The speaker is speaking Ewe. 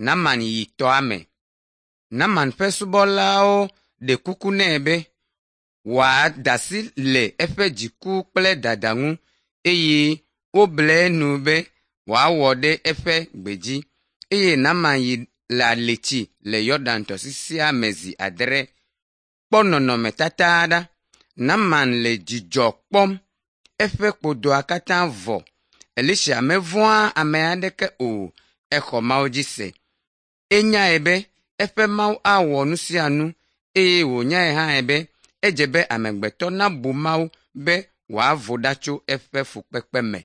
Naaman yi tɔa me. Naaman ƒe subɔlawo ɖe kuku nɛ be wòada asi le eƒe dziku kple dada ŋu eye woble enu be wòawɔ ɖe eƒe gbe dzi. Eye Naaman yi le tsi le Yɔdan tɔsisia me zi adre. Kpɔ nɔnɔmetata ɖa. Naaman le dzidzɔ kpɔm. Eƒe kpodɔa katã vɔ. Elisa mevɔ̃a ame aɖeke o. Exɔ Mawu dzi se. Enyae be eƒe Mawu awɔ nu sia nu eye wònyae hã be edze be amegbetɔ nabu Mawu be wòavo ɖa tso eƒe fukpekpe me.